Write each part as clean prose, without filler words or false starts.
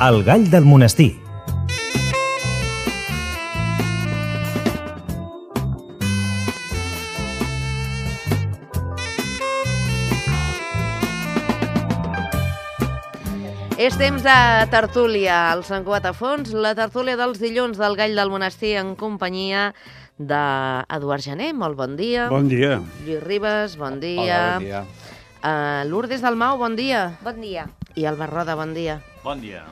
El gall del monestir. És temps de tertúlia al Sant Cugat a Fons, la tertúlia dels dilluns del Gall del Monestir en companyia d'Eduard Jané, molt bon dia. Bon dia. Lluís Ribas, bon dia. Hola, bon dia. Lourdes Dalmau, bon dia. Bon dia. I Albert Roda, bon dia. Bon dia.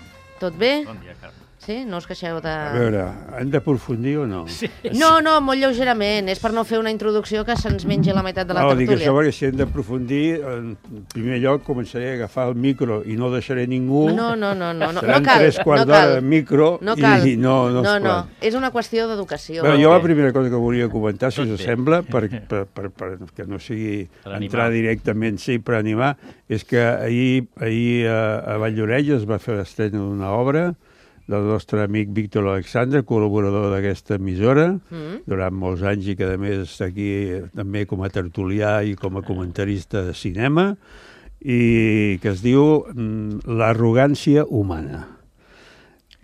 Tot bé? Bon dia, Carme. Sí? No us queixeu de... A veure, hem d'aprofundir o no? Sí. No, molt lleugerament. És per no fer una introducció que se'ns mengi la meitat de la tertúlia. Dic això perquè si hem d'aprofundir, en primer lloc començaré a agafar el micro i no deixaré ningú. No Seran cal. 3/4 d'hora de micro No cal. I no es pot. És una qüestió d'educació. Bé, jo la primera cosa que volia comentar, si us sembla, per que no sigui entrar directament, sí, per animar, és que ahir a Vall-llorell es va fer l'estrena d'una obra del nostre amic Víctor Alexandre, col·laborador d'aquesta emissora, durant molts anys i que a més està aquí també com a tertulià i com a comentarista de cinema, i que es diu L'arrogància humana.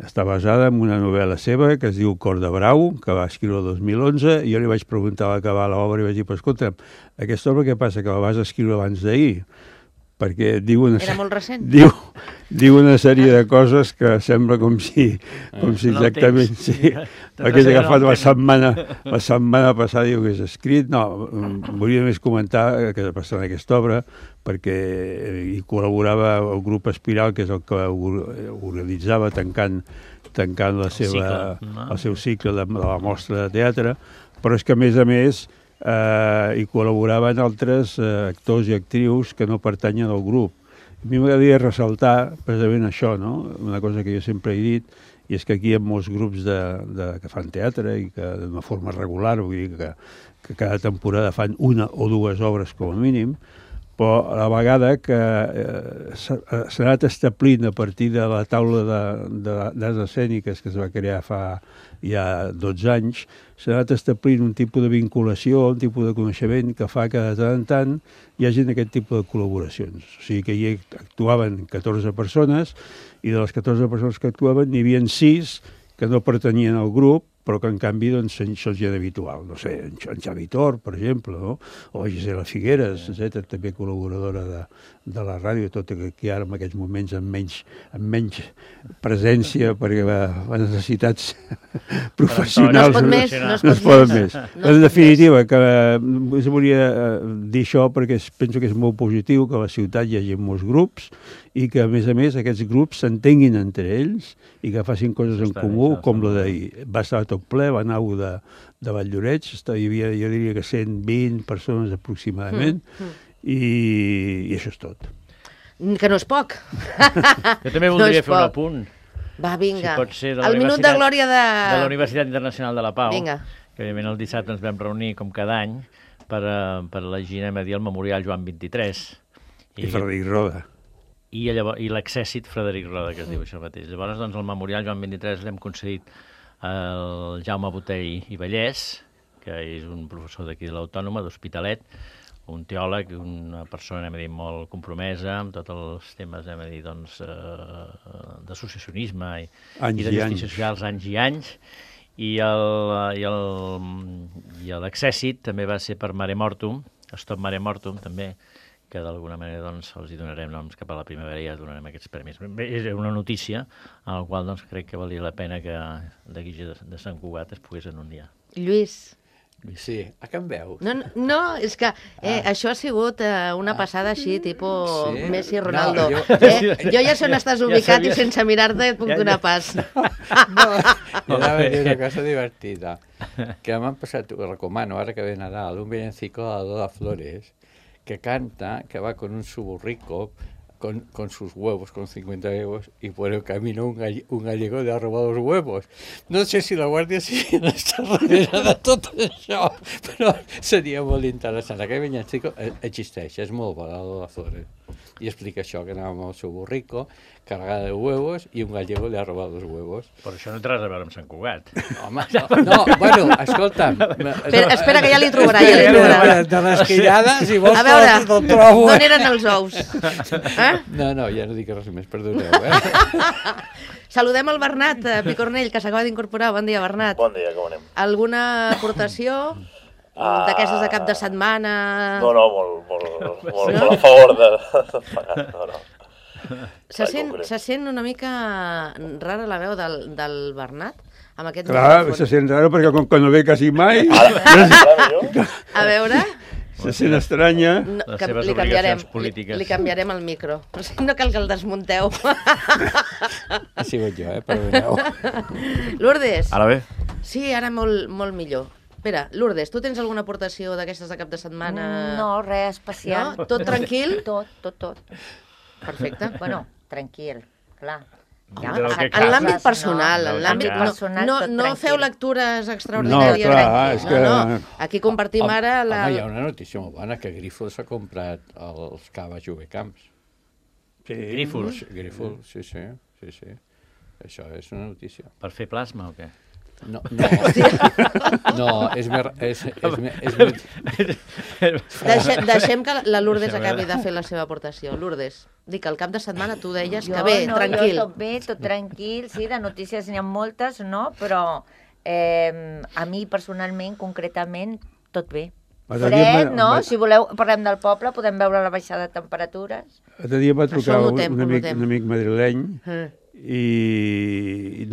Està basada en una novel·la seva que es diu Cor de Brau, que va escriure el 2011, i jo li vaig preguntar a l'acabar l'obra i vaig dir, però escolta, aquesta obra què passa, que la vas escriure abans d'ahir? Perquè diu Era molt recent. Diu una sèrie de coses que sembla com si exactament... Sí, perquè he agafat la setmana passada diu que és escrit. No, volia més comentar que passant aquesta obra, perquè hi col·laborava el grup Espiral, que és el que organitzava tancant el seu cicle de la mostra de teatre, però és que a més hi col·laboraven altres actors i actrius que no pertanyen al grup. A mi m'agradaria ressaltar precisament això, no? Una cosa que jo sempre he dit, i és que aquí hi ha molts grups que fan teatre i que d'una forma regular, vull dir que cada temporada fan una o dues obres com a mínim, però a la vegada que s'ha anat establint a partir de la taula d'arts escèniques que es va crear fa ja 12 anys, s'ha anat establint un tipus de vinculació, un tipus de coneixement que fa que de tant en tant hi hagi aquest tipus de col·laboracions. O sigui que hi actuaven 14 persones i de les 14 persones que actuaven n'hi havia 6 que no pertanyien al grup, però que en canvi doncs, això és gent habitual. No sé, en Xavi Tor, per exemple, no? O Gisela Figueres, etc., també col·laboradora de la ràdio, tot i que ara en aquests moments amb menys presència perquè les necessitats professionals no es pot més. En definitiva, que us volia dir això perquè penso que és molt positiu que a la ciutat hi hagi molts grups i que, a més, aquests grups s'entenguin entre ells i que facin coses en comú, com la d'ahir. Va estar tot ple, va anar de Vall-llorell, hi havia, jo diria que 120 persones aproximadament, i això és tot. Que no és poc. Jo també voldria fer un apunt. Va, vinga. Si pot ser el minut de glòria de la Universitat Internacional de la Pau. Vinga. Que, evidentment, el dissabte ens vam reunir, com cada any, per elegir, anem a dir, el Memorial Joan 23. I Frederic Roda. I l'exèssit Frederic Roda, que es diu això mateix. Llavors, doncs, el Memorial Joan 23 l'hem concedit al Jaume Botell i Vallès, que és un professor d'aquí de l'Autònoma, d'Hospitalet, un teòleg, una persona, anem a dir, molt compromesa amb tots els temes, anem a dir, doncs, d'associacionisme i de justícia socials, anys i anys. I l'exèssit també va ser per Mare Mortum, Stop Mare Mortum, també, que d'alguna manera doncs, els hi donarem noms cap a la primavera i ja donarem aquests premis. Bé, és una notícia a la qual doncs, crec que valia la pena que d'aquí de Sant Cugat es pogués anunciar. Lluís. Sí, a què em veus? No, és que això ha sigut una passada així, tipus Messi, Ronaldo. Jo ja sé on estàs ubicat i sense mirar-te et puc donar pas. No, jo anava a dir una cosa divertida, que m'han passat, ho recomano, ara que ve Nadal, un villancico de Lola Flores, que canta, que va con un suburrico, con sus huevos, con 50 huevos, y por el camino un gallego le ha robado los huevos. No sé si la Guàrdia Civil està darrere de tot això, però seria molt interessant. Aquest villancico existeix, és molt bo, la Flores. i explica això, que anava amb el seu burrico, cargada de huevos, i un gallego li ha robat els huevos. Però això no té res a veure amb Sant Cugat. Home, no, bueno, escolta'm. Espera, que ja li trobarà, ja li trobarà. De les quillades, si vols, A veure, te'l trobo. d'on eren els ous? No, ja no dic res més, perdoneu. Saludem el Bernat Picornell, que s'acaba d'incorporar. Bon dia, Bernat. Bon dia, com anem? Alguna aportació d'aquestes de cap de setmana? No, molt a favor de pagar, no. Se sent una mica rara la veu del Bernat? Amb aquest Clar, micròfon. se sent raro perquè com que no ve quasi mai, Ara millor? A veure... se sent estranya. No, Les que seves li canviarem, obligacions polítiques. li canviarem el micro. No cal que el desmunteu. Ha sigut jo, perdoneu. Lourdes. Ara bé? Sí, ara molt millor. Espera, Lourdes, tu tens alguna aportació d'aquestes de cap de setmana? No, res especial. No? Tot tranquil? Tot. Perfecte. Bueno, tranquil, clar. Ja, Del que En l'àmbit cases, personal, no? en l'àmbit... Del que personal, No, tot no tranquil. feu lectures extraordinàries. No, clar, és que- No. Aquí compartim ara la... Home, hi ha una notícia molt bona, que Grifols s'ha comprat els Cava Jovecamps. Sí. Grífols. Grifols, sí. Això és una notícia. Per fer plasma o què? No, és més... Deixem que la Lourdes acabi de fer la seva aportació. Lourdes, dic, al cap de setmana tu deies que bé, tranquil. Jo tot tranquil, sí, de notícies n'hi ha moltes, no? Però a mi personalment, concretament, tot bé. L'altre dia Fred, me- no? me- Si voleu, parlem del poble, podem veure la baixada de temperatures. L'altre dia em va trucar Això ho notem, un ho notem. amic madrileny Eh. y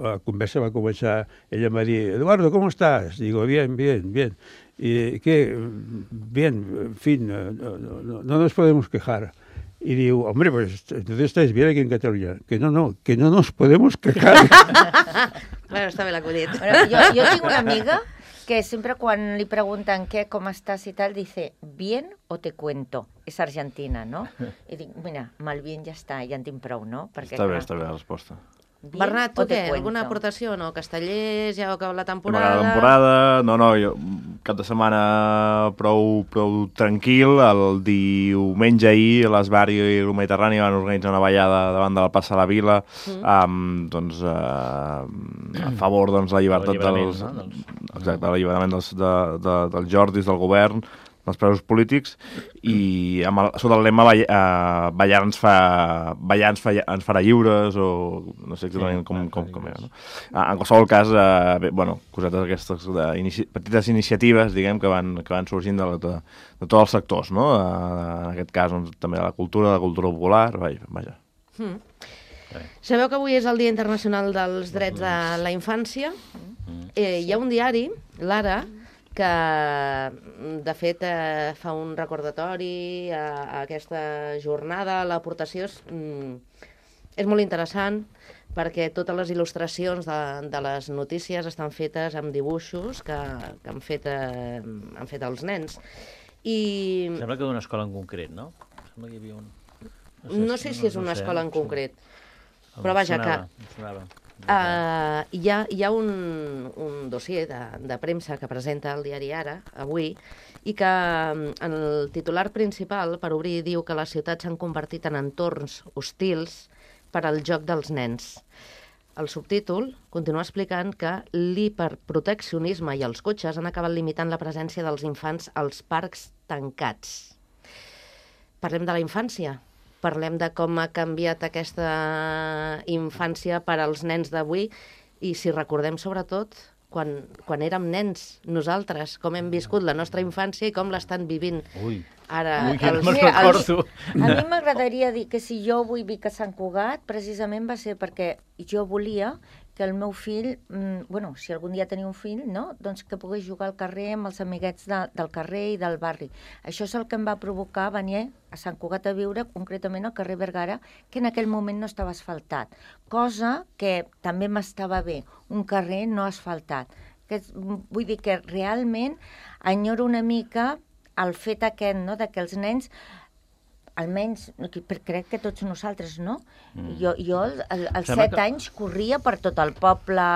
la conversa va a comenzar, ella me dice, Eduardo, ¿cómo estás? Digo, bien. ¿Y qué? Bien, en fin, no nos podemos quejar. Y digo, hombre, pues entonces estáis bien aquí en Cataluña. Que no nos podemos quejar. Bueno, està bé l'acudit. Bueno, jo tinc una amiga que sempre quan li pregunten què, com estàs i tal, dice, bien o te cuento. És argentina, no? I dic, mira, amb el bien ja està, ja en tinc prou, no? Perquè, Està bé clar, la resposta. bien Bernat, o tu te què? cuento. Alguna aportació o no? Castellers, ja acaba la M'agrada temporada. la temporada, no, jo, cap de setmana prou tranquil. El diumenge ahir l'Esbar i el Mediterrani van organitzar una ballada davant de la plaça de la Vila, doncs, a favor de la llibertat L'alliberament, dels... no? Exacte, l'alliberament dels Jordis, del govern, dels presos polítics, i sota el lema ballar ens farà lliures, o no sé exactament com era, no? En qualsevol cas, bé, bueno, cosetes aquestes, petites iniciatives, diguem, que van sorgint de tots els sectors, no? En aquest cas, doncs, també de la cultura popular, vaja. Sabeu que avui és el Dia Internacional dels Drets de la Infància? Hi ha un diari, l'Ara, que de fet fa un recordatori a aquesta jornada. L'aportació és molt interessant perquè totes les il·lustracions de les notícies estan fetes amb dibuixos que han fet els nens. I Sembla que d'una escola en concret, no? Sembla que hi havia un... no sé si és una escola en concret, però vaja que... Em sonava. Hi ha un dossier de premsa que presenta el diari Ara, avui, i que en el titular principal, per obrir, diu que les ciutats s'han convertit en entorns hostils per al joc dels nens. El subtítol continua explicant que l'hiperproteccionisme i els cotxes han acabat limitant la presència dels infants als parcs tancats. Parlem de la infància. Parlem de com ha canviat aquesta infància per als nens d'avui i si recordem sobretot quan érem nens nosaltres, com hem viscut la nostra infància i com l'estan vivint ara. Que no me'n Sí, recordo. A mi m'agradaria dir que si jo vull vir a Sant Cugat, precisament va ser perquè jo volia que el meu fill, si algun dia tenia un fill, no? Doncs que pogués jugar al carrer amb els amiguets del carrer i del barri. Això és el que em va provocar venir a Sant Cugat a viure, concretament al carrer Vergara, que en aquell moment no estava asfaltat. Cosa que també m'estava bé, un carrer no asfaltat. Vull dir que realment enyoro una mica el fet aquest, no?, de que els nens almenys, crec que tots nosaltres, no? Jo als Sembla 7 anys corria per tot el poble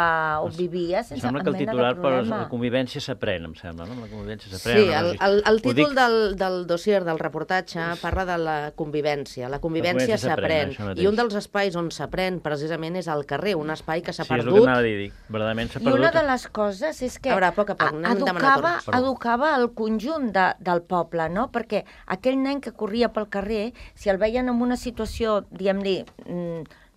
on vivia sense cap Sembla que el mena de titular per problema. la convivència s'aprèn, em sembla, no? La convivència s'aprèn. Sí, el títol del dossier, del reportatge, parla de la convivència. La convivència s'aprèn. això mateix. I un dels espais on s'aprèn, precisament, és al carrer, un espai que s'ha Sí, és el que perdut. m'anava a dir. Verdaderament s'ha I una perdut. de les coses és que A veure, a poc a poc, anem demanant torns. educava el conjunt del poble, no? Perquè aquell nen que corria pel carrer, si el veien en una situació, diguem-li,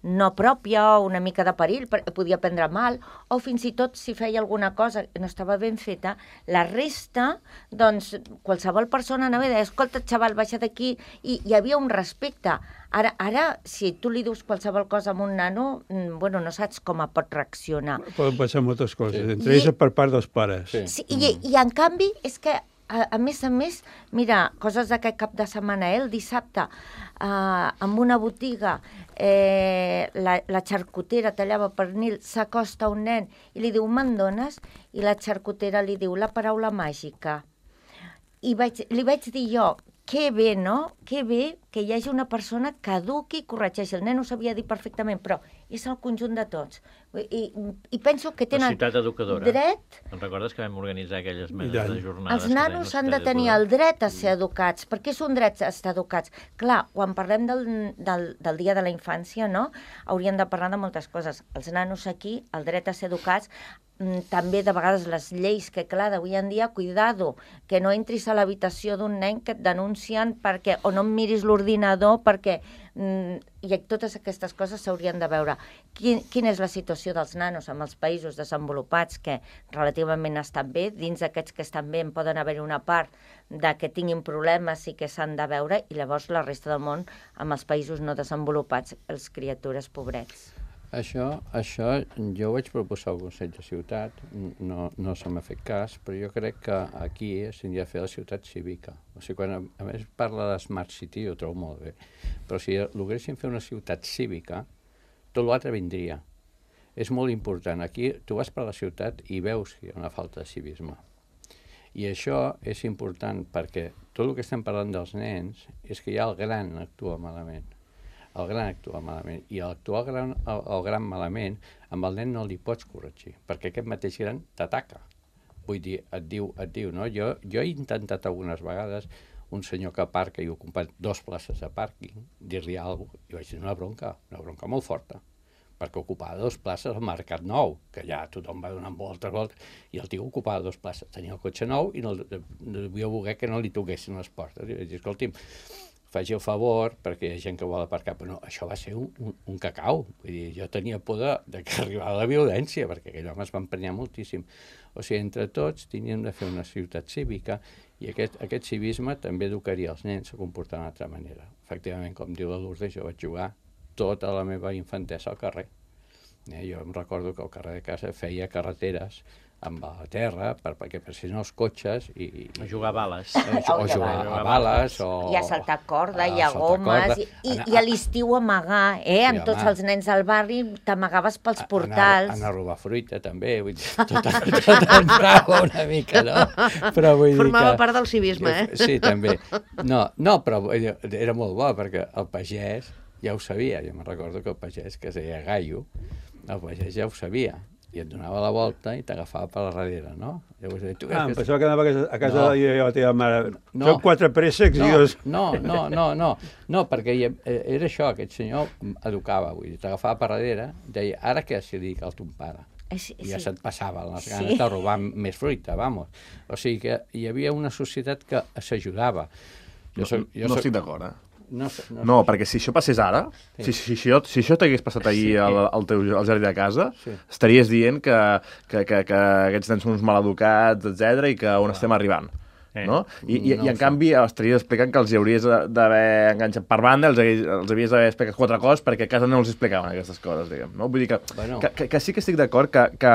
no pròpia o una mica de perill, podia prendre mal, o fins i tot si feia alguna cosa que no estava ben feta, la resta, doncs, qualsevol persona anava i deia, escolta, xaval, baixa d'aquí, i hi havia un respecte. Ara, si tu li dius qualsevol cosa a un nano, bueno, no saps com pot reaccionar. Poden passar moltes coses, entre ells per part dels pares. Sí, i en canvi, és que a més, mira, coses d'aquest cap de setmana, el dissabte, en una botiga, la xarcutera tallava pernil, s'acosta a un nen i li diu, me'n dones? I la xarcutera li diu la paraula màgica. I li vaig dir jo, que bé, no? Que bé que hi hagi una persona que eduqui i corregeixi. El nen ho sabia dir perfectament, però és el conjunt de tots. I penso que tenen ciutat educadora. dret... Te'n recordes que vam organitzar aquelles menes de jornades? Els nanos han de tenir el dret a ser educats. Per què és un dret a estar educats? Clar, quan parlem del Dia de la Infància, no? Hauríem de parlar de moltes coses. Els nanos aquí, el dret a ser educats, també de vegades les lleis que, clar, d'avui en dia, cuidado, que no entris a l'habitació d'un nen que et denuncien perquè, o no em miris l'ordinador perquè... I totes aquestes coses s'haurien de veure. Quina és la situació dels nanos en els països desenvolupats que relativament estan bé? Dins d'aquests que estan bé en poden haver una part de que tinguin problemes i que s'han de veure, i llavors la resta del món, amb els països no desenvolupats, els criatures pobrets. Això jo vaig proposar al Consell de Ciutat, no se m'ha fet cas, però jo crec que aquí s'hauria de fer la ciutat cívica. O sigui, quan a més parla de Smart City, ho trobo molt bé, però si logréssim fer una ciutat cívica, tot l'altre vindria. És molt important. Aquí tu vas per la ciutat i veus que hi ha una falta de civisme. I això és important perquè tot el que estem parlant dels nens és que ja el gran actua malament. El gran actua malament. I actuar el gran malament, amb el nen no li pots corregir, perquè aquest mateix gran t'ataca. Vull dir, et diu, no? Jo he intentat algunes vegades un senyor que aparca i ha ocupat 2 places de pàrquing, dir-li alguna cosa, i vaig dir una bronca molt forta, perquè ocupava 2 places al Mercat Nou, que ja tothom va donant voltes, i el tio ocupava 2 places. Tenia el cotxe nou i no devia voler que no li toquessin les portes. I vaig dir, escolti'm, faci el favor, perquè hi ha gent que vol aparcar, però no, això va ser un cacau. Vull dir, jo tenia por de que arribava la violència, perquè aquell home es va emprenyar moltíssim. O sigui, entre tots teníem de fer una ciutat cívica i aquest civisme també educaria els nens a comportar d'una altra manera. Efectivament, com diu la Lourdes, jo vaig jugar tota la meva infantesa al carrer. Jo em recordo que al carrer de casa feia carreteres amb la terra, perquè si no els cotxes... O jugar a bales. O jugar a bales, o... I a saltar corda, i a gomes, i a l'estiu amagar, amb tots els nens del barri, t'amagaves pels portals. Anar a robar fruita, també, vull dir, tot entrava una mica, no? Formava part del civisme, Sí, també. No, però era molt bo, perquè el pagès ja ho sabia. Jo me'n recordo que el pagès, que es deia Gallo, el pagès ja ho sabia, i et donava la volta i t'agafava per la darrere, no? Llavors, em pensava que anava a casa de la teva mare. Són 4 préssecs i dos... No, perquè era això, aquest senyor educava, vull dir, t'agafava per darrere, deia, ara què si li dic al ton pare? I ja se't passava les ganes de robar més fruita, vamos. O sigui que hi havia una societat que s'ajudava. No estic d'acord, No, perquè si això passés ara, si això t'hagués passat ahir al jardí de casa, estaries dient que aquests nens són uns maleducats, etc i que on estem arribant. No? I en canvi estaries explicant que els hauries d'haver enganxat per banda, els havies d'haver explicat 4 coses perquè a casa no els explicaven aquestes coses, diguem. No? Vull dir que sí que estic d'acord que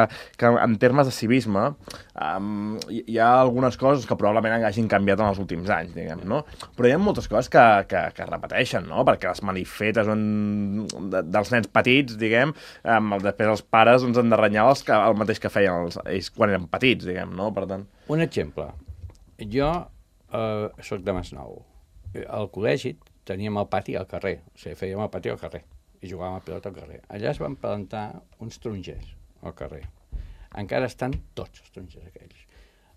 en termes de civisme hi ha algunes coses que probablement hagin canviat en els últims anys, diguem, no? Però hi ha moltes coses que es repeteixen, no? Perquè les manifetes dels nens petits, diguem, després els pares han de renyar el mateix que feien ells quan eren petits, diguem, no? Per tant... Un exemple. Jo soc de Masnou. Al col·legi teníem el pati al carrer, o sigui, fèiem el pati al carrer i jugàvem a pilota al carrer. Allà es van plantar uns tarongers al carrer. Encara estan tots els tarongers aquells.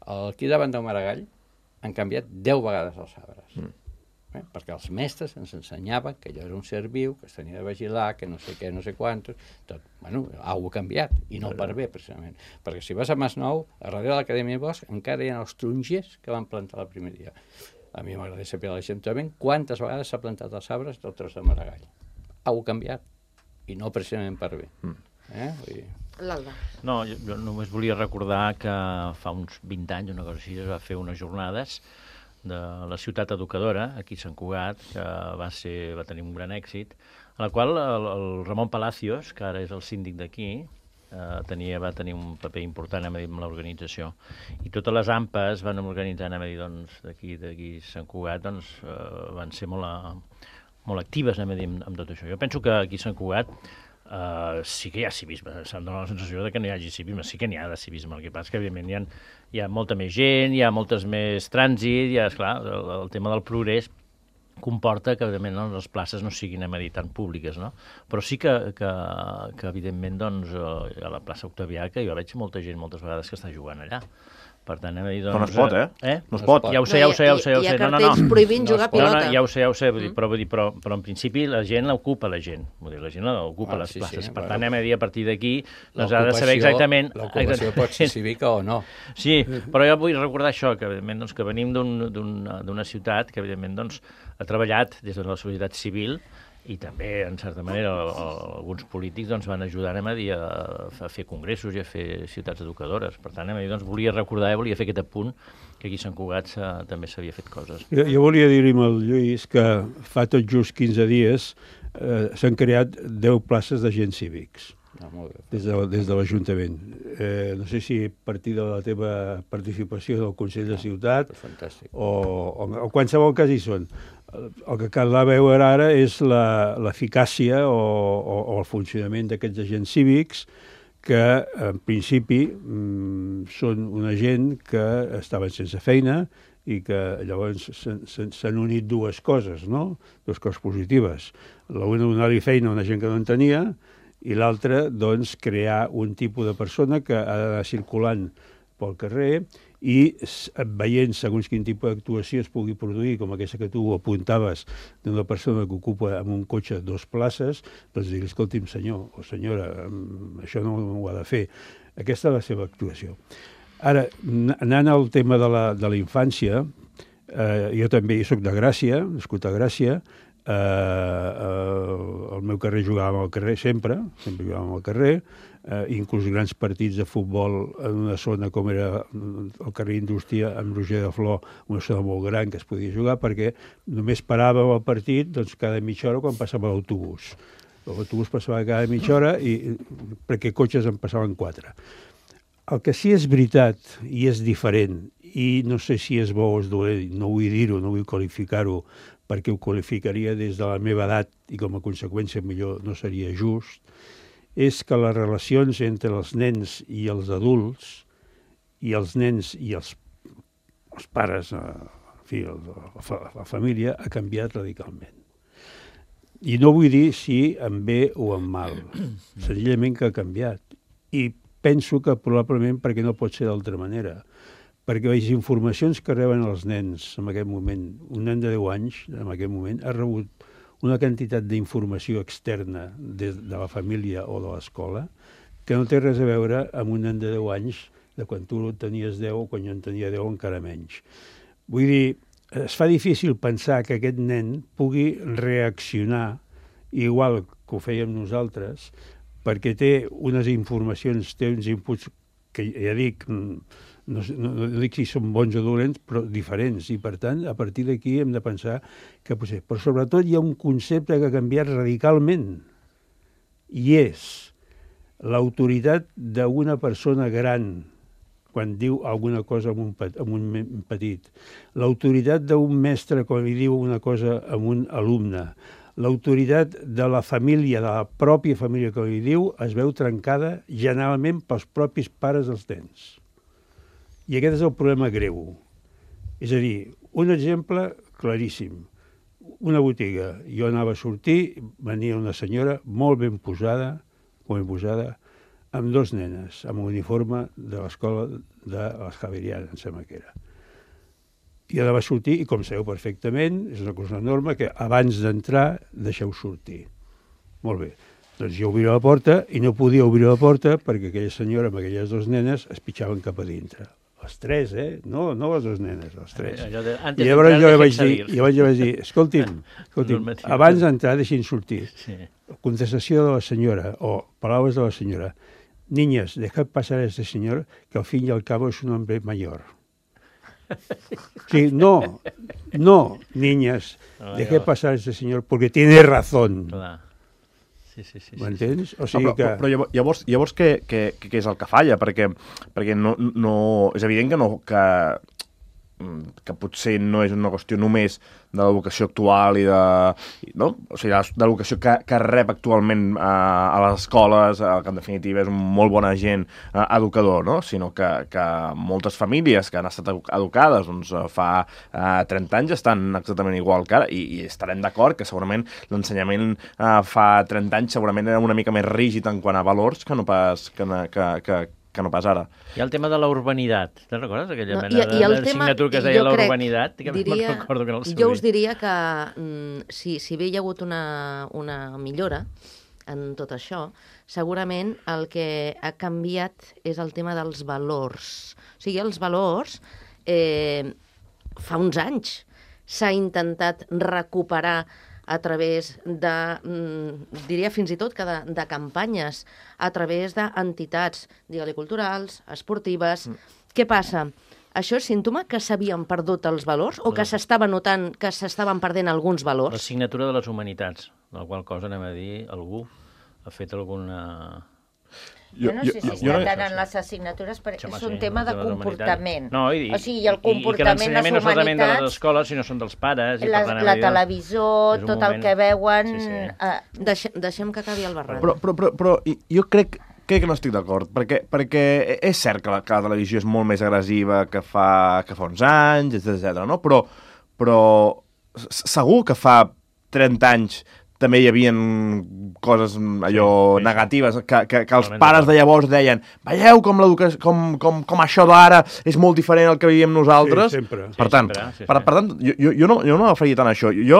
Aquí davant del Maragall han canviat 10 vegades els arbres. Perquè els mestres ens ensenyaven que allò era un ser viu, que es tenia de vigilar, que no sé què, no sé quantos, tot. Bueno, ha canviat, i no per bé, precisament. Perquè si vas a Masnou, a darrere de l'Acadèmia Bosch, encara hi ha els tarongers que van plantar el primer dia. A mi m'agradaria saber a l'Ajuntament quantes vegades s'ha plantat els arbres del tros de Maragall. Ha canviat, i no precisament per bé. L'Alba. No, jo només volia recordar que fa uns 20 anys, una cosa així, es va fer unes jornades de la ciutat educadora, aquí a Sant Cugat, que va tenir un gran èxit, en la qual el Ramon Palacios, que ara és el síndic d'aquí, va tenir un paper important amb l'organització. I totes les AMPAs van organitzar d'aquí a Sant Cugat, van ser molt actives amb tot això. Jo penso que aquí a Sant Cugat sí que hi ha civisme, se'm dona la sensació que no hi hagi civisme, sí que n'hi ha de civisme, el que passa que evidentment hi ha molta més gent, hi ha moltes més trànsit, esclar, el tema del progrés comporta que evidentment les places no siguin tan públiques, no? Però sí que evidentment a la plaça Octavià, que jo veig molta gent moltes vegades que està jugant allà. Per tant, però no es pot, No es pot. Ja ho sé. Hi ha cartells prohibint jugar a pilota. Ja ho sé, però en principi la gent l'ocupa, la gent. Vull dir, la gent ocupa les places. Per tant, a partir d'aquí, ha de saber exactament... L'ocupació pot ser cívica o no. Sí, però jo vull recordar això, que evidentment que venim d'una ciutat que evidentment ha treballat des de la societat civil i també, en certa manera, alguns polítics van ajudar a fer congressos i a fer ciutats educadores. Per tant, volia recordar, volia fer aquest apunt, que aquí a Sant Cugat també s'havia fet coses. Jo volia dir-li al Lluís que fa tot just 15 dies s'han creat 10 places d'agents cívics des de l'Ajuntament. No sé si a partir de la teva participació del Consell de Ciutat o qualsevol cas hi són. El que cal veure ara és l'eficàcia o el funcionament d'aquests agents cívics que, en principi, són una gent que estaven sense feina i que llavors s'han unit dues coses, no? Dues coses positives. L'una, donar-li feina a una gent que no en tenia, i l'altra, doncs, crear un tipus de persona que ha d'anar circulant pel carrer i veient segons quin tipus d'actuació es pugui produir, com aquesta que tu apuntaves d'una persona que ocupa amb un cotxe 2 places, doncs dir, escolti'm, senyor o senyora, això no ho ha de fer. Aquesta és la seva actuació. Ara, anant al tema de la infància, jo també soc de Gràcia, nascut a Gràcia, al meu carrer jugàvem al carrer sempre jugàvem al carrer, inclús grans partits de futbol en una zona com era el carrer Indústria amb Roger de Flor, una zona molt gran que es podia jugar, perquè només paràvem el partit cada mitja hora quan passava l'autobús. L'autobús passava cada mitja hora perquè cotxes en passaven 4. El que sí és veritat i és diferent, i no sé si és bo o és dolent, no vull dir-ho, no vull qualificar-ho, perquè ho qualificaria des de la meva edat i com a conseqüència millor no seria just, és que les relacions entre els nens i els adults i els nens i els pares, en fi, la família, ha canviat radicalment. I no vull dir si en bé o en mal, senzillament que ha canviat. I penso que probablement perquè no pot ser d'altra manera. Perquè les informacions que reben els nens en aquest moment, un nen de 10 anys en aquest moment ha rebut una quantitat d'informació externa de la família o de l'escola que no té res a veure amb un nen de 10 anys de quan tu tenies 10 o quan jo en tenia 10 encara menys. Vull dir, es fa difícil pensar que aquest nen pugui reaccionar igual que ho fèiem nosaltres perquè té unes informacions, té uns inputs que ja dic... No dic si són bons o dolents, però diferents. I, per tant, a partir d'aquí hem de pensar que potser... Però, sobretot, hi ha un concepte que ha canviat radicalment. I és l'autoritat d'una persona gran quan diu alguna cosa a un petit. L'autoritat d'un mestre quan li diu una cosa a un alumne. L'autoritat de la família, de la pròpia família que li diu, es veu trencada generalment pels propis pares dels nens. I aquest és el problema greu. És a dir, un exemple claríssim. una botiga. Jo anava a sortir, venia una senyora molt ben posada, amb 2 nenes, amb uniforme de l'escola de les Javerianes, em sembla que era. I anava a sortir, i com sabeu perfectament, és una cosa norma que abans d'entrar deixeu sortir. Molt bé. Doncs jo obria la porta i no podia obrir la porta perquè aquella senyora amb aquelles 2 nenes es pitjaven cap a dintre. Les 3, No les 2 nenes, les 3. I llavors jo vaig dir, escolti'm, abans d'entrar deixin sortir. Contestació de la senyora, o paraules de la senyora. Niñas, dejad pasar a este señor, que al fin y al cabo es un hombre mayor. Sí, no, niñas, dejad pasar a este señor porque tiene razón. M'entens? O sigui que... Però llavors què és el que falla? Perquè no, és evident que potser no és una qüestió només de l'educació actual i no? O sigui, de l'educació que rep actualment a les escoles, que en definitiva és un molt bon agent educador, no? Sinó que moltes famílies que han estat educades doncs, fa 30 anys estan exactament igual que ara, i estarem d'acord que segurament l'ensenyament fa 30 anys segurament era una mica més rígid en quant a valors que no pas ara. Hi ha el tema de la urbanitat. Te'n recordes aquella mena d'assignatura que es deia la urbanitat? Jo us diria que si bé hi ha hagut una millora en tot això, segurament el que ha canviat és el tema dels valors. O sigui, els valors, fa uns anys s'ha intentat recuperar a través de, diria fins i tot que de campanyes, a través d'entitats, digue-li culturals, esportives. Què passa? Això és símptoma que s'havien perdut els valors o que s'estava notant que s'estaven perdent alguns valors? L'assignatura de les humanitats, de la qual cosa anem a dir, algú ha fet alguna... Jo no sé si està tant en les assignatures, perquè és un tema de comportament. O sigui, el comportament, les humanitats... I que l'ensenyament no és solament de les escoles, sinó són dels pares... La televisió, tot el que veuen... Deixem que acabi el Barran. Però jo crec que no estic d'acord, perquè és cert que la televisió és molt més agressiva que fa uns anys, etc. no? Però segur que fa 30 anys també hi havia coses allò negatives, que els pares de llavors deien veieu com això d'ara és molt diferent al que vivíem nosaltres. Per tant, jo no agafaria tant això. Jo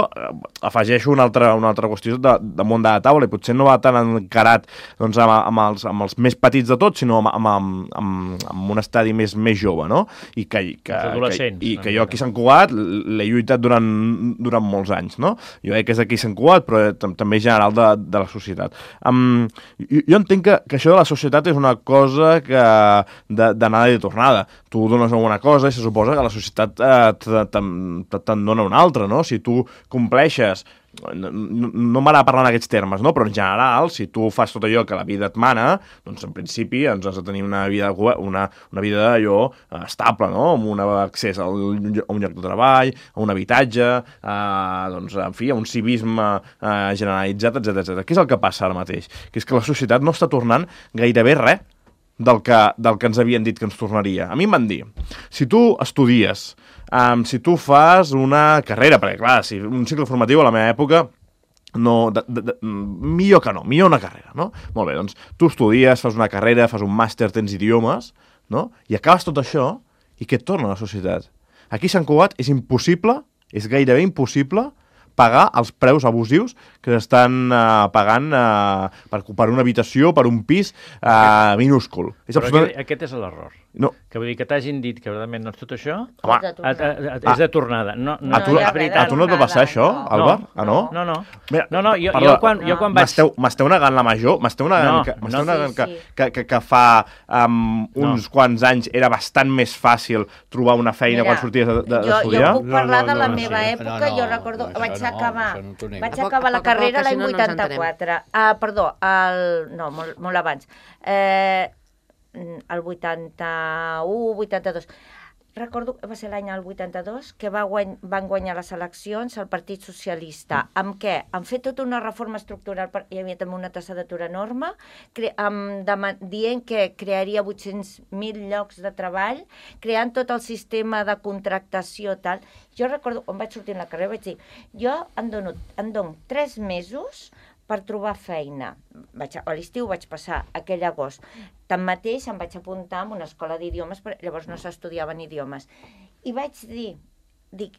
afegeixo una altra qüestió damunt de la taula, i potser no va tan encarat doncs, amb els més petits de tots, sinó amb un estadi més jove, no? I que jo aquí a Sant Cugat l'he lluitat durant molts anys, no? Jo crec que és aquí a Sant Cugat, però també general de la societat. Jo entenc que això de la societat és una cosa d'anada i de tornada. Tu dones alguna cosa i se suposa que la societat te'n dona una altra, no? Si tu compleixes... No m'agrada parlar en aquests termes, no? Però en general, si tu fas tot allò que la vida et mana, doncs en principi ens has de tenir una vida allò estable, no? Amb un accés a un lloc de treball, a un habitatge, doncs, en fi, a un civisme generalitzat, etc. Què és el que passa ara mateix? Que és que la societat no està tornant gairebé res del que ens havien dit que ens tornaria. A mi em van dir, si tu estudies, si tu fas una carrera, perquè clar, si un cicle formatiu a la meva època, millor una carrera, no? Molt bé, doncs tu estudies, fas una carrera, fas un màster, tens idiomes, no? I acabes tot això, i què et torna a la societat? Aquí a Sant Cugat és impossible, és gairebé impossible, pagar els preus abusius que s'estan pagant per una habitació, per un pis minúscul. Però aquest és l'error. No. Que vull dir que t'hagin dit que realment no és tot això, és de tornada. A tu no et va passar això, Àlvar? No. No, jo quan vaig... M'esteu negant la major? M'esteu negant que fa uns quants anys era bastant més fàcil trobar una feina quan sorties d'estudiar? Jo puc parlar de la meva època, jo recordo, vaig acabar la carrera l'any 84. Perdó, molt abans. El 81, 82. recordo que va ser l'any 82, que van guanyar les eleccions el Partit Socialista. Amb què? Han fet tota una reforma estructural, hi havia també una tassa d'atur enorme, dient que crearia 800.000 llocs de treball, creant tot el sistema de contractació, tal. Jo recordo, quan vaig sortir a la carrera, vaig dir, jo em dono 3 mesos per trobar feina. A l'estiu vaig passar aquell agost. Tanmateix em vaig apuntar a una escola d'idiomes, llavors no s'estudiaven idiomes. I vaig dir,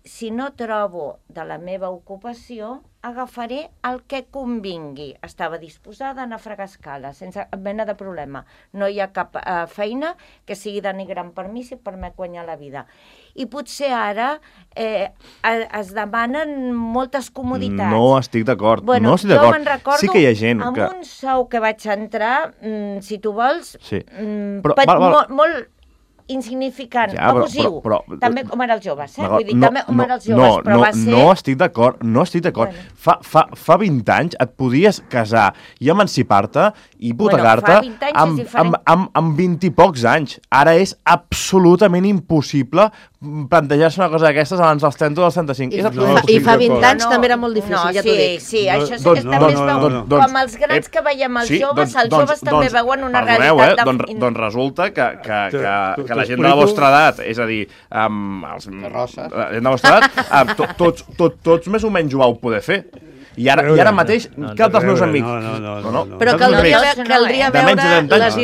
si no trobo de la meva ocupació, agafaré el que convingui. Estava disposada a anar a fregar escales, sense cap mena de problema. No hi ha cap feina que sigui denigrant per mi si permet guanyar la vida. I potser ara es demanen moltes comoditats. No estic d'acord. Bueno, no estic d'acord. Jo me'n recordo, sí que hi ha gent amb un sou que vaig entrar, si tu vols, molt insignificant, abusiu, també com ara els joves, també com ara els joves, però va ser... No estic d'acord, Bueno. Fa 20 anys et podies casar i emancipar-te i hipotecar-te amb 20 i pocs anys. Ara és absolutament impossible plantejar-se una cosa d'aquestes abans dels 30 o dels 35. I fa 20 anys també era molt difícil, ja t'ho dic. Sí, això sí que està més veu. Com els grans que veiem els joves, els joves també veuen una realitat... Doncs resulta que la gent de la vostra edat, és a dir, la gent de la vostra edat, tots més o menys ho vau poder fer. I ara mateix, cap dels meus amics... No. Però caldria veure les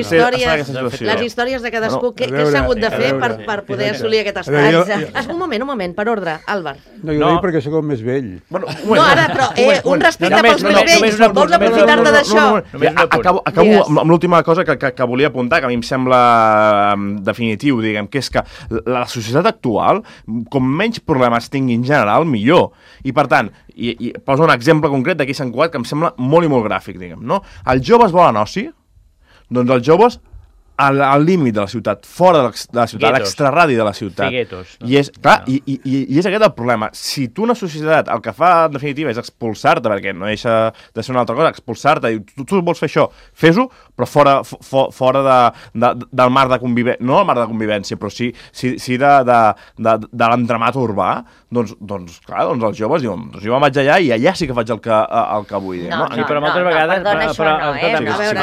històries de cadascú, què s'ha hagut de fer per poder assolir aquest estat. Un moment, per ordre, Àlvar. No, jo ho dic perquè sóc el més vell. No, ara, però un respecte pels més vells. Vols aprofitar-te d'això? Acabo amb l'última cosa que volia apuntar, que a mi em sembla definitiu, diguem, que és que la societat actual, com menys problemes tingui en general, millor. I, per tant, i poso un exemple concret d'aquí Sant Cugat que em sembla molt i molt gràfic, diguem, no? Els joves volen oci? Doncs els joves al límit de la ciutat, fora de la ciutat, a l'extraradi de la ciutat. I és aquest el problema. Si tu una societat el que fa en definitiva és expulsar-te, perquè no deixa de ser una altra cosa, expulsar-te, i tu vols fer això, fes-ho, però fora del marc de convivència, no el marc de convivència, però sí de l'entramat urbà, doncs clar, els joves diuen, jo me'n vaig allà i allà sí que faig el que vull. Però moltes vegades...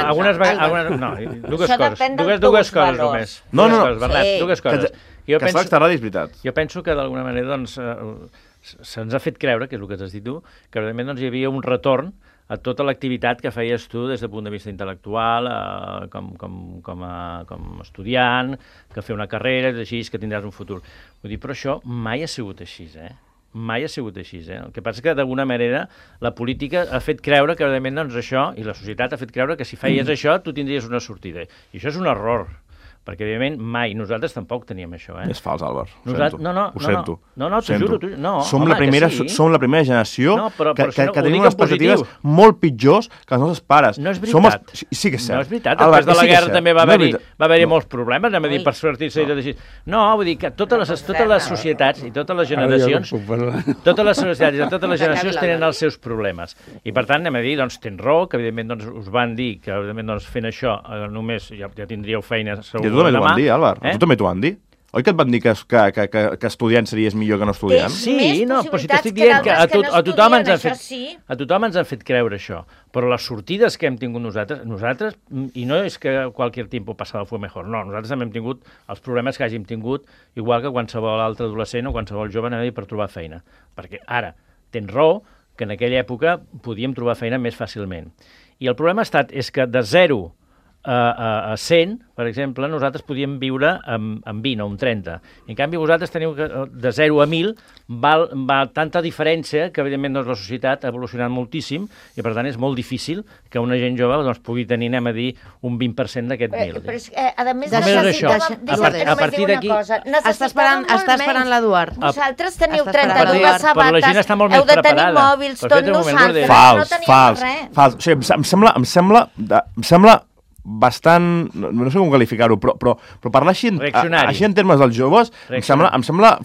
Algunes vegades... Dues coses només. Dues coses. Que està l'extraradi, és veritat. Jo penso que d'alguna manera se'ns ha fet creure, que és el que has dit tu, que realment hi havia un retorn a tota l'activitat que feies tu des del punt de vista intel·lectual, com a estudiant, que fer una carrera, així, que tindràs un futur. Vull dir, però això mai ha sigut així, Mai ha sigut així, El que passa és que, d'alguna manera, la política ha fet creure que, realment, doncs, això, i la societat ha fet creure que si feies això, tu tindries una sortida. I això és un error. Perquè, evidentment, mai. Nosaltres tampoc teníem això, És fals, Àlvar. Ho sento. No, t'ho juro. Som la primera generació que tenim unes expectatives molt pitjors que els nostres pares. No és veritat. Sí que és cert. No és veritat. Després de la guerra també va haver-hi molts problemes, anem a dir, per sortir-se i tot així. No, vull dir que totes les societats i totes les generacions tenen els seus problemes. I, per tant, anem a dir, doncs, tens raó, que, evidentment, us van dir que, evidentment, fent això només ja tindríeu feina segur. Tu també t'ho van dir, Àlvar. Tu també t'ho van dir? Oi que et van dir que estudiant series millor que no estudiant? Sí, però si t'estic dient que a tothom ens han fet creure això. Però les sortides que hem tingut nosaltres, i no és que qualsevol tiempo pasado fue mejor, no, nosaltres també hem tingut els problemes que hàgim tingut, igual que qualsevol altre adolescent o qualsevol jove per trobar feina. Perquè ara, tens raó, que en aquella època podíem trobar feina més fàcilment. I el problema és que de 0 a 100, per exemple, nosaltres podíem viure amb 20 o amb 30. En canvi, vosaltres teniu que de 0 a 1.000 va tanta diferència que, evidentment, la societat ha evolucionat moltíssim i, per tant, és molt difícil que una gent jove pugui tenir, anem a dir, un 20% d'aquest 1.000. Però és que, a més, a partir d'aquí... Està esperant l'Eduard. Vosaltres teniu 32 sabates, heu de tenir mòbils, tot nosaltres no tenim res. Fals. O sigui, em sembla bastant, no sé com qualificar-ho, però parlar així en termes dels joves em sembla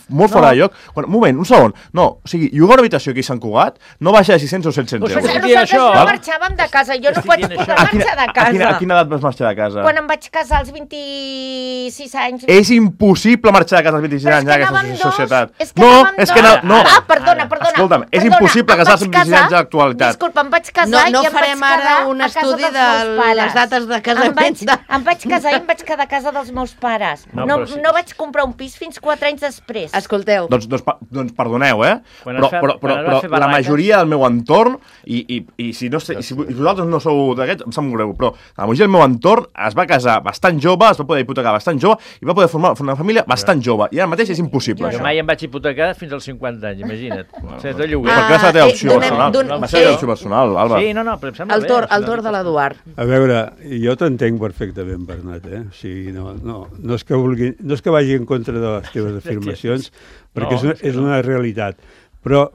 molt fora de lloc. Un moment, un segon. No, o sigui, llogar una habitació aquí a Sant Cugat no baixa de 600 o 700 euros. Nosaltres no marxàvem de casa, jo no vaig poder marxar de casa. A quina edat vas marxar de casa? Quan em vaig casar als 26 anys. És impossible marxar de casa als 26 anys en aquesta societat. Perdona. Escolta'm, és impossible casar-se amb 26 anys a l'actualitat. Disculpa, em vaig casar i em vaig quedar a casa dels meus pares. No farem ara un estudi de les dates de casament. Em vaig casar i em vaig quedar a casa dels meus pares. No vaig comprar un pis fins 4 anys després. Escolteu. Doncs perdoneu, però la majoria del meu entorn, i si vosaltres no sou d'aquests, em sap molt greu, però la majoria del meu entorn es va casar bastant jove, es va poder hipotecar bastant jove i va poder formar una família bastant jove. I ara mateix és impossible. Jo mai em vaig hipotecar fins als 50 anys, imagina't. Ser tot lloguer. Perquè va ser la teva opció personal. Va ser la teva opció personal, Alba. Sí, no, però em sembla bé. El torn de l'Eduard. A veure, jo t'entenc perfectament, Bernat, O sigui, no és que vagi en contra de les teves afirmacions, perquè és una realitat. Però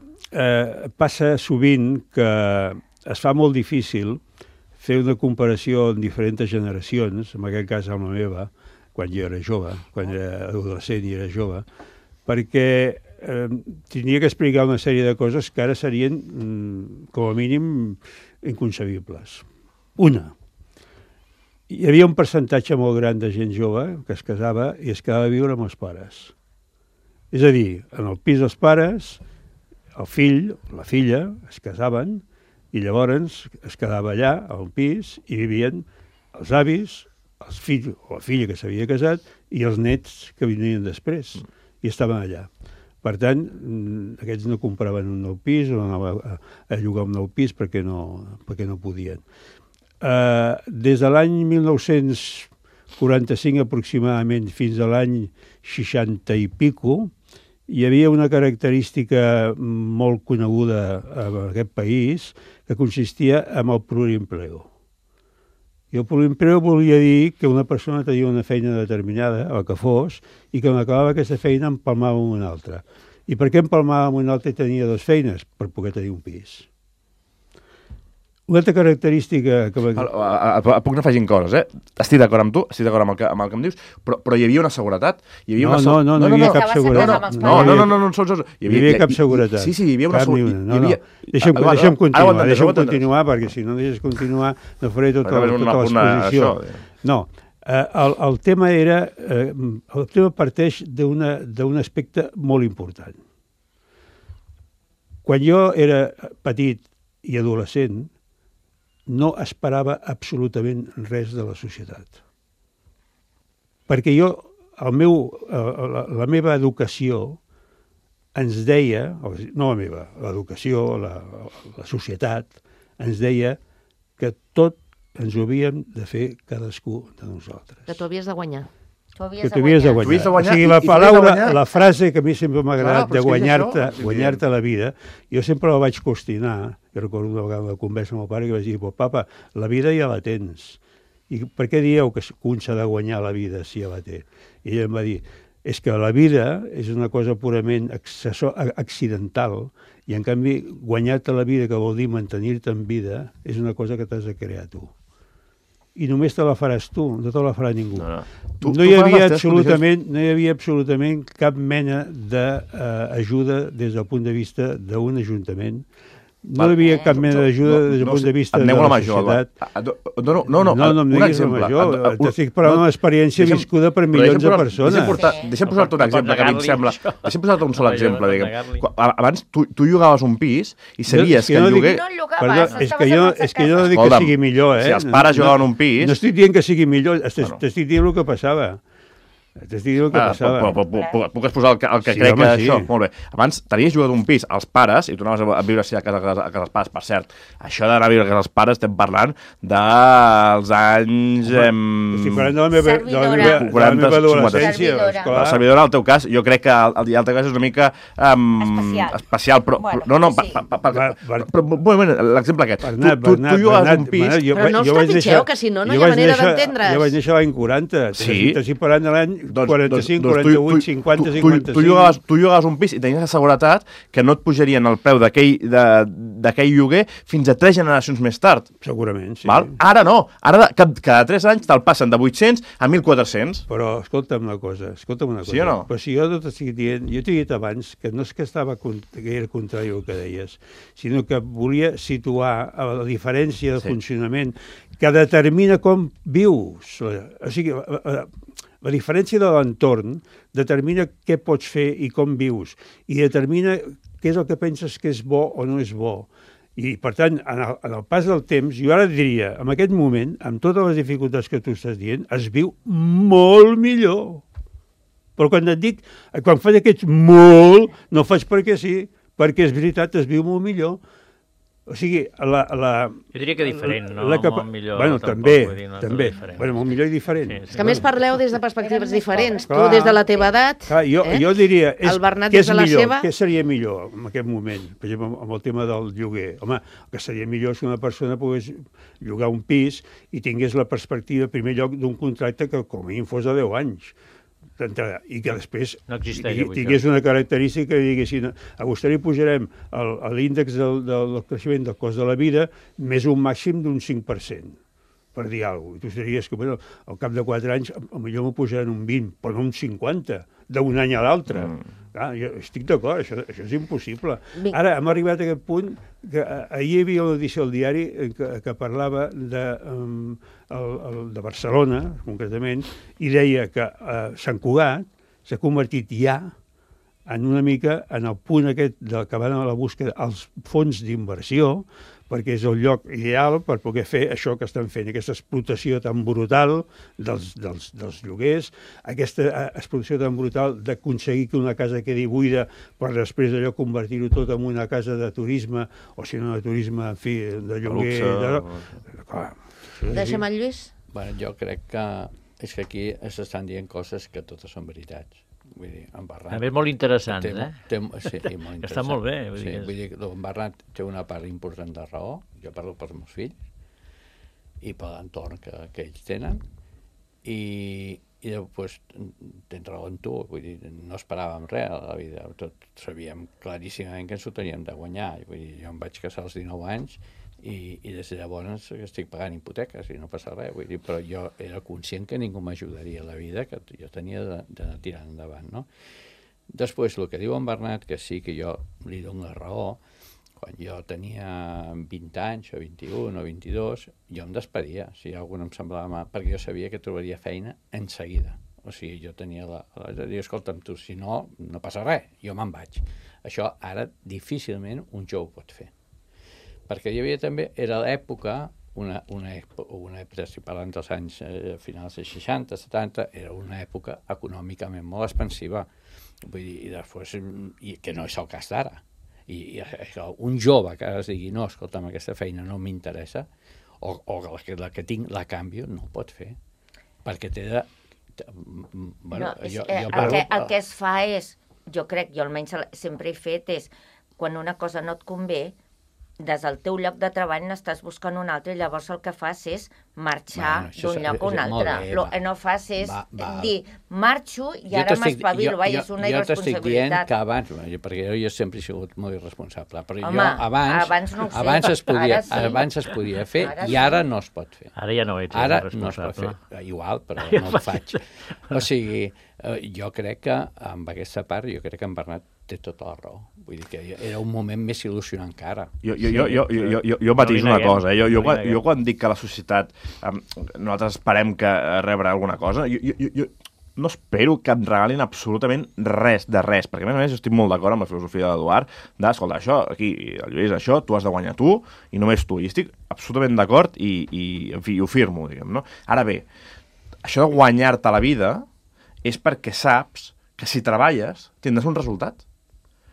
passa sovint que es fa molt difícil fer una comparació en diferents generacions, en aquest cas amb la meva, quan jo era jove, quan era adolescent i era jove, perquè tenia que explicar una sèrie de coses que ara serien, com a mínim, inconcebibles. Una, hi havia un percentatge molt gran de gent jove que es casava i es quedava a viure amb els pares. És a dir, en el pis dels pares, el fill, la filla, es casaven i llavors es quedava allà, al pis, i vivien els avis, els fills o la filla que s'havia casat i els nets que venien després, i estaven allà. Per tant, aquests no compraven un nou pis o anaven a llogar un nou pis perquè no podien. Des de l'any 1945 aproximadament fins a l'any 60 i pico, hi havia una característica molt coneguda en aquest país que consistia en el plurimpleo. I el plurimpleo volia dir que una persona tenia una feina determinada, el que fos, i que quan acabava aquesta feina empalmava amb una altra. I per què empalmava amb una altra i tenia dues feines? Per poder tenir un pis. Una altra característica... Puc anar afegint coses, Estic d'acord amb tu, estic d'acord amb el que em dius, però hi havia una seguretat. No hi havia cap seguretat. No, hi havia cap seguretat. Sí, hi havia una seguretat. Deixa'm continuar, perquè si no deixes continuar no faré tota l'exposició. No, el tema parteix d'un aspecte molt important. Quan jo era petit i adolescent, no esperava absolutament res de la societat. Perquè la meva educació ens deia, no la meva, l'educació, la societat, ens deia que tot ens ho havíem de fer cadascú de nosaltres. Que tu havies de guanyar. Que tu havies de guanyar. O sigui, la frase que a mi sempre m'ha agradat de guanyar-te la vida, jo sempre la vaig qüestionar. Jo recordo una vegada una conversa amb el pare que vaig dir, papa, la vida ja la tens. I per què dieu que un s'ha de guanyar la vida si ja la té? I ell em va dir, és que la vida és una cosa purament accidental i en canvi guanyar-te la vida, que vol dir mantenir-te en vida, és una cosa que t'has de crear tu. I només te la faràs tu, no te la farà ningú. No hi havia absolutament cap mena d'ajuda des del punt de vista d'un ajuntament. No hi havia cap mena d'ajuda des del punt de vista de la societat. No em diguis la major. T'estic parlant d'una experiència viscuda per milions de persones. Deixa'm posar-te un exemple que a mi em sembla... Deixa'm posar-te un sol exemple. Abans tu llogaves un pis i sabies que el lloguer... No llogaves, és que jo no dic que sigui millor, Si els pares llogaven un pis... No estic dient que sigui millor, t'estic dient el que passava. T'estic dient el que passava. Puc exposar el que crec que això... Molt bé. Abans tenies llogat un pis als pares i tu anaves a viure a casa dels pares. Per cert, això d'anar a viure a casa dels pares estem parlant dels anys... Estic parlant de la meva adolescència. La servidora, al teu cas, jo crec que el teu cas és una mica especial. Però l'exemple aquest. Tu llogaves un pis... Però no us trepitgeu, que si no, no hi ha manera d'entendre's. Jo vaig néixer l'any 40. T'estic parlant de l'any 45, 48, 50, 55... Tu llogaves un pis i tenies la seguretat que no et pujarien el preu d'aquell lloguer fins a 3 generacions més tard. Segurament, sí. Val? Ara no. Ara cada 3 anys te'l passen de 800 a 1.400. Però escolta'm una cosa. Sí o no? Però si jo t'estic dient, jo t'he dit abans que no és que que era contrari al que deies, sinó que volia situar la diferència de funcionament que determina com vius. O sigui, la diferència de l'entorn determina què pots fer i com vius, i determina què és el que penses que és bo o no és bo. I, per tant, en el pas del temps, jo ara diria, en aquest moment, amb totes les dificultats que tu estàs dient, es viu molt millor. Però quan et dic, quan faig aquest molt, no faig perquè sí, perquè és veritat, es viu molt millor. O sigui, jo diria que diferent, no? Molt millor. Bueno, tampoc, també. Bueno, molt millor i diferent. Sí. És que a més parleu des de perspectives diferents. Tu des de la teva edat... Jo diria, el Bernat què des és de la millor? seva... Què seria millor en aquest moment? Per exemple, amb el tema del lloguer. Home, el que seria millor és que una persona pogués llogar un pis i tingués la perspectiva, en primer lloc, d'un contracte que com a mínim fos de 10 anys. I que després tingués una característica que diguessin a vostè li pujarem l'índex del creixement del cost de la vida més un màxim d'un 5%, per dir alguna cosa. I tu diries que al cap de 4 anys potser m'ho pujaran un 20, però no un 50, d'un any a l'altre. Jo estic d'acord, això és impossible. Ara hem arribat a aquest punt que ahir hi havia una edició al diari que parlava de Barcelona, concretament, i deia que Sant Cugat s'ha convertit ja en una mica en el punt aquest que van a la búsqueda als fons d'inversió, perquè és el lloc ideal per poder fer això que estan fent, aquesta explotació tan brutal dels lloguers, aquesta explotació tan brutal d'aconseguir que una casa quedi buida per després d'allò convertir-ho tot en una casa de turisme, o si no de turisme, en fi, de lloguer... Deixa'm el Lluís. Bueno, jo crec que és que aquí s'estan dient coses que totes són veritats. Vull dir, en Bernat... També molt interessant, sí, molt interessant. Està molt bé. Vull dir, en Bernat té una part important de raó, jo parlo pels meus fills, i per l'entorn que ells tenen, i després tens raó en tu, vull dir, no esperàvem res a la vida, tot sabíem claríssimament que ens ho teníem de guanyar, vull dir, jo em vaig casar als 19 anys, i des de llavors estic pagant hipoteques i no passa res, vull dir, però jo era conscient que ningú m'ajudaria a la vida, que jo tenia d'anar tirant endavant, no? Després, el que diu en Bernat, que sí que jo li dono la raó, quan jo tenia 20 anys, o 21 o 22, jo em despedia, si algú em semblava mal, perquè jo sabia que trobaria feina en seguida. O sigui, jo tenia de dir, escolta'm, tu, si no, no passa res, jo me'n vaig. Això ara difícilment un jove ho pot fer. Perquè hi havia també, era l'època, una època, si parlant dels anys finals dels 60, 70, era una època econòmicament molt expansiva, vull dir, i després, que no és el cas d'ara. I un jove que es digui, no, escolta'm, aquesta feina no m'interessa, o la que tinc la canvio, no ho pot fer, perquè té de... Bueno, el que es fa és, jo crec, jo almenys sempre he fet, és quan una cosa no et convé, des del teu lloc de treball n'estàs buscant un altre i llavors el que fas és marxar d'un lloc a un altre. El que no fas és dir, marxo i ara m'espavilo, és una irresponsabilitat. Jo t'estic dient que abans, perquè jo sempre he sigut molt irresponsable, però jo abans es podia fer i ara no es pot fer. Ara ja no ets irresponsable. Ara no es pot fer, igual, però no ho faig. O sigui, jo crec que amb aquesta part, jo crec que en Bernat té tota la raó. Vull dir que era un moment més il·lusionant que ara. Jo matiso una cosa. Jo quan dic que la societat nosaltres esperem que rebre alguna cosa, jo no espero que em regalin absolutament res de res, perquè a més jo estic molt d'acord amb la filosofia de l'Eduard, escolta, això, aquí, el Lluís, això, tu has de guanyar tu, i només tu. I estic absolutament d'acord i, en fi, ho firmo, diguem, no? Ara bé, això de guanyar-te la vida és perquè saps que si treballes tindràs un resultat.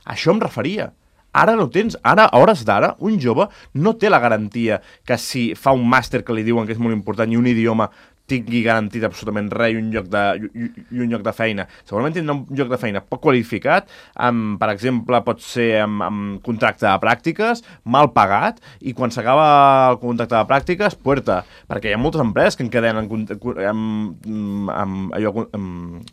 Això em referia. Ara no tens. Ara, a hores d'ara, un jove no té la garantia que si fa un màster que li diuen que és molt important i un idioma tingui garantit absolutament res i un lloc de feina. Segurament tindrà un lloc de feina poc qualificat, per exemple, pot ser amb contracte de pràctiques, mal pagat, i quan s'acaba el contracte de pràctiques, puerta, perquè hi ha moltes empreses que encadenen amb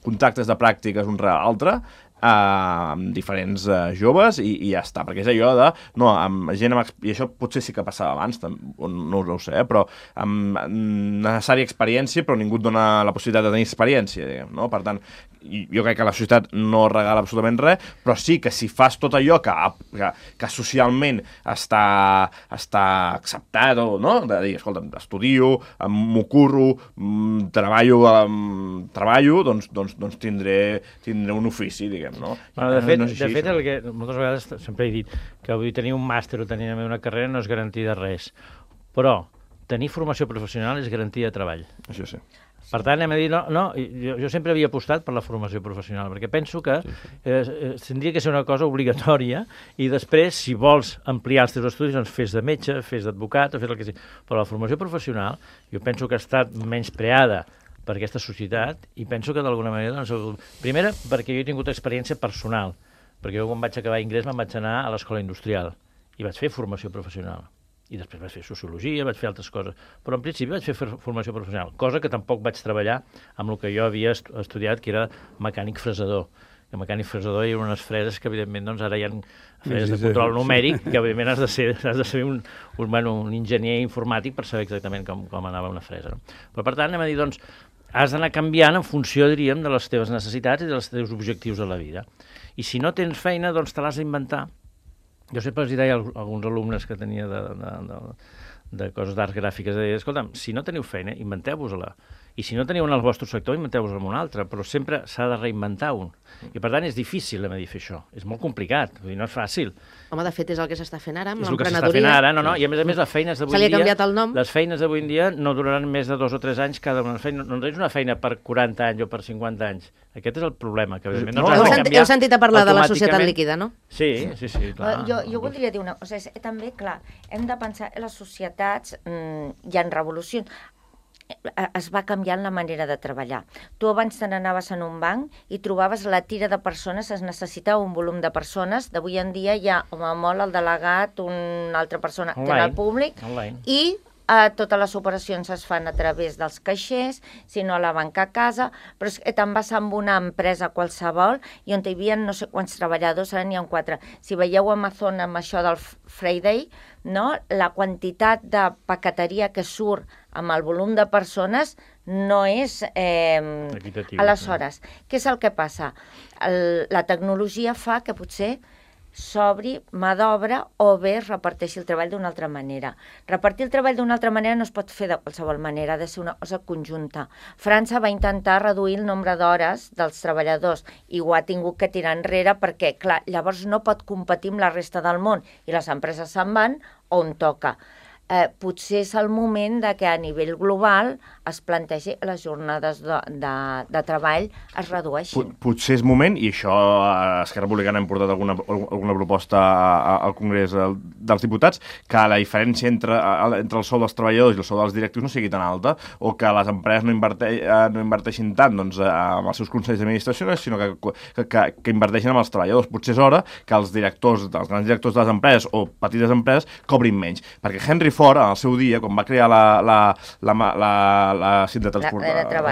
contractes de pràctiques un rere l'altre, amb diferents joves i ja està, perquè és allò de amb gent i això potser sí que passava abans, no ho sé, però amb necessària experiència, però ningú et dona la possibilitat de tenir experiència, diguem, no? Per tant, jo crec que la societat no regala absolutament res, però sí que si fas tot allò que socialment està acceptat, no? De dir, escolta, estudio, m'ho curro, treballo, doncs tindré un ofici, diguem. No? Bueno, de fet, el que moltes vegades sempre he dit que vull tenir un màster o tenir una carrera no és garantia de res, però tenir formació professional és garantia de treball. Això sí. Per tant, hem de dir, jo sempre havia apostat per la formació professional, perquè penso que tindria que ser una cosa obligatòria i després, si vols ampliar els teus estudis, doncs fes de metge, fes d'advocat, o fes el que sigui. Però la formació professional, jo penso que ha estat menyspreada per aquesta societat, i penso que d'alguna manera, primera, perquè jo he tingut experiència personal, perquè jo quan vaig acabar ingrés me'n vaig anar a l'escola industrial i vaig fer formació professional, i després vaig fer sociologia, vaig fer altres coses, però en principi vaig fer formació professional, cosa que tampoc vaig treballar amb el que jo havia estudiat, que era mecànic fresador. El mecànic fresador hi ha unes freses que, evidentment, doncs, ara hi ha freses de control numèric, que, evidentment, has de ser un enginyer informàtic per saber exactament com anava una fresa. No? Però, per tant, anem a dir, doncs, has d'anar canviant en funció, diríem, de les teves necessitats i dels teus objectius a la vida. I si no tens feina, doncs te l'has d'inventar. Jo sempre els deia a alguns alumnes que tenia de coses d'arts gràfiques, deia, escolta'm, si no teniu feina, inventeu-vos-la. I si no teniu en el vostre sector, inventeu-vos en un altre, però sempre s'ha de reinventar un. I, per tant, és difícil, hem de dir, fer això. És molt complicat, vull dir, no és fàcil. Home, de fet, és el que s'està fent ara amb l'emprenedoria. És el l'emprenedoria. que s'està fent ara, i a més les feines d'avui Se li ha canviat el nom. Les feines d'avui en dia no duraran més de 2 o 3 anys cada una feina. No tens una feina per 40 anys o per 50 anys. Aquest és el problema, que evidentment no has de canviar. Heu sentit a parlar de la societat líquida, no? Sí, clar. Jo voldria dir una cosa. També, clar, hem de pensar en les societats, hi ha revolucions, es va canviant la manera de treballar. Tu abans te n'anaves en un banc i trobaves la tira de persones, es necessitava un volum de persones. D'avui en dia hi ha, home, molt el delegat, una altra persona que en el públic, i totes les operacions es fan a través dels caixers, si no a la banca a casa, però és que te'n vas amb una empresa qualsevol i on hi havia no sé quants treballadors, ara n'hi ha 4. Si veieu Amazon amb això del Friday, no? La quantitat de paqueteria que surt amb el volum de persones no és equitatiu. Aleshores, què és el que passa? La tecnologia fa que potser s'obri mà d'obra o bé es reparteixi el treball d'una altra manera. Repartir el treball d'una altra manera no es pot fer de qualsevol manera, ha de ser una cosa conjunta. França va intentar reduir el nombre d'hores dels treballadors i ho ha tingut que tirar enrere perquè, clar, llavors no pot competir amb la resta del món i les empreses se'n van on toca. Potser és el moment de que a nivell global es plantegi les jornades de treball es redueixin. Potser és moment, i això Esquerra Republicana hem portat alguna proposta al Congrés dels Diputats, que la diferència entre el sou dels treballadors i el sou dels directius no sigui tan alta, o que les empreses no inverteixin tant amb els seus consells d'administració, sinó que inverteixin amb els treballadors. Potser és hora que els grans directors de les empreses o petites empreses cobrin menys, perquè Henry Ford, en el seu dia, quan va crear la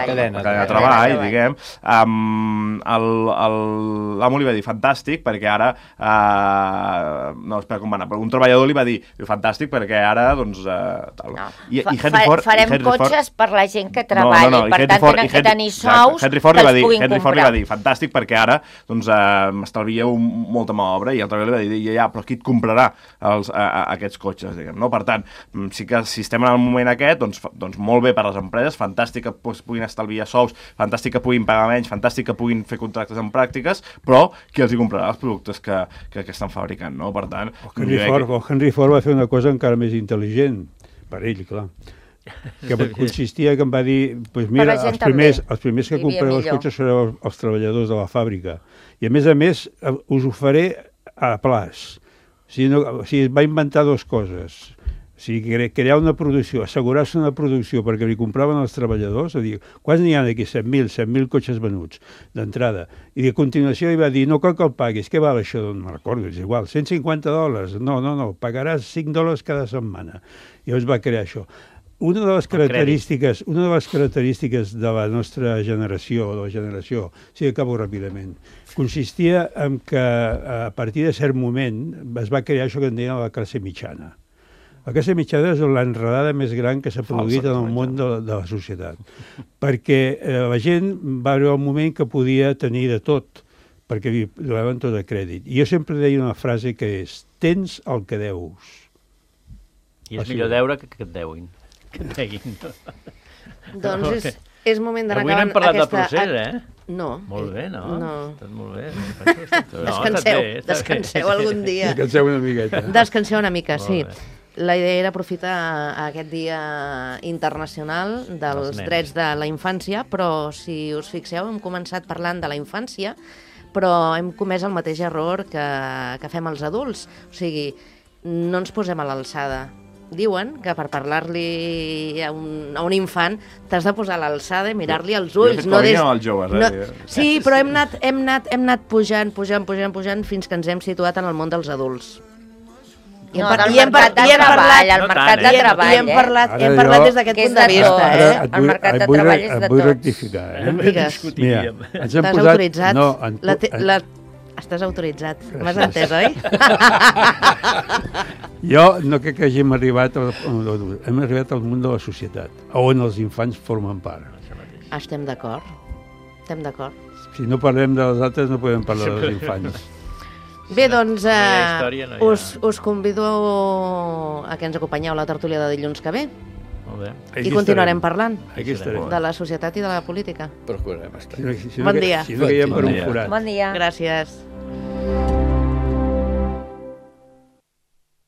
cadena de treball, diguem, l'amo li va dir fantàstic perquè ara un treballador li va dir fantàstic perquè ara doncs farem cotxes per la gent que treballa i per tant tenen que tenir sous que els puguin comprar. Henry Ford li va dir fantàstic perquè ara m'estalvieu molta mà obra, i el treballador li va dir ja, però qui et comprarà aquests cotxes, diguem, no? Per tant, sí que si estem en el moment aquest, doncs molt bé per a les empreses, fantàstic que puguin estalviar sous, fantàstic que puguin pagar menys, fantàstic que puguin fer contractes en pràctiques, però qui els hi comprarà els productes que estan fabricant, no? Per tant... Henry Ford va fer una cosa encara més intel·ligent, per ell, clar, que consistia que em va dir, doncs mira, els primers que compreu els cotxes sereu els treballadors de la fàbrica, i a més us ho faré a plaç. O sigui, va inventar dues coses. O sigui, crear una producció, assegurar-se una producció perquè li compraven els treballadors, a dir, quants n'hi ha d'aquí? 100.000 cotxes venuts d'entrada. I de continuació hi va dir, no cal que el paguis, què val això? No recordo, és igual, $150. No, pagaràs $5 cada setmana. I llavors va crear això. Una de les característiques de la nostra generació, de la generació, sí, acabo ràpidament, consistia en que a partir de cert moment es va crear això que en deien la classe mitjana. La classe mitjana és l'enredada més gran que s'ha produït en el món de la societat, perquè la gent va arribar un moment que podia tenir de tot, perquè li donaven tot a crèdit. I jo sempre deia una frase que és, tens el que deus. I és millor deure que et deguin. Que et deguin. Doncs és moment d'anar avui no hem parlat del procés, No. Molt bé, no? No. Tot molt bé. Descanseu algun dia. Descanseu una miqueta. Descanseu una mica, sí. Molt bé. La idea era aprofitar aquest dia internacional dels drets de la infància, però si us fixeu hem començat parlant de la infància, però hem comès el mateix error que fem els adults. O sigui, no ens posem a l'alçada. Diuen que per parlar-li a un infant t'has de posar a l'alçada i mirar-li als ulls. Jo he fet als joves, Sí, però hem anat pujant fins que ens hem situat en el món dels adults. No, del mercat de treball, el mercat de treball, hem parlat des d'aquest punt de vista. El mercat de treball és de tots. Et vull rectificar, Digues. Mira, ens hem Estàs posat... autoritzat? Estàs autoritzat. M'has entès, oi? Jo no crec que hàgim arribat hem arribat al món de la societat, on els infants formen part. Estem d'acord. Si no parlem de les altres, no podem parlar dels infants. Bé, doncs us convido a que ens acompanyeu a la tertúlia de dilluns que ve. Molt bé. I continuarem parlant de la societat i de la política. Procurem estar. Bon dia. Si no caiem per un forat. Bon dia. Gràcies.